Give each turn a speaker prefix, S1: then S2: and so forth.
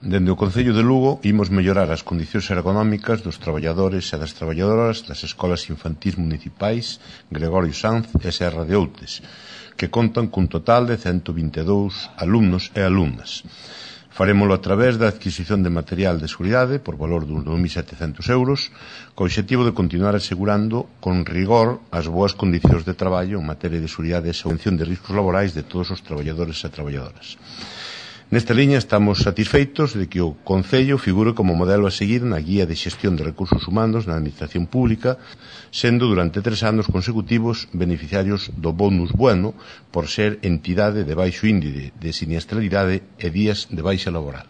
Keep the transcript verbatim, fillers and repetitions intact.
S1: Dende o Concello de Lugo imos mellorar as condicións ergonómicas dos traballadores e das traballadoras das escolas infantís municipais Gregorio Sanz e Serra de Outes, que contan cun total de ciento vinte e dous alumnos e alumnas. Farémolo a través da adquisición de material de seguridade por valor de dos mil setecentos euros, co obxectivo de continuar asegurando con rigor as boas condicións de traballo en materia de seguridade e prevención de riscos laborais de todos os traballadores e traballadoras. Nesta liña estamos satisfeitos de que o Concello figure como modelo a seguir na Guía de Xestión de Recursos Humanos na Administración Pública, sendo durante tres anos consecutivos beneficiarios do bonus bueno por ser entidade de baixo índice de siniestralidade e días de baixa laboral.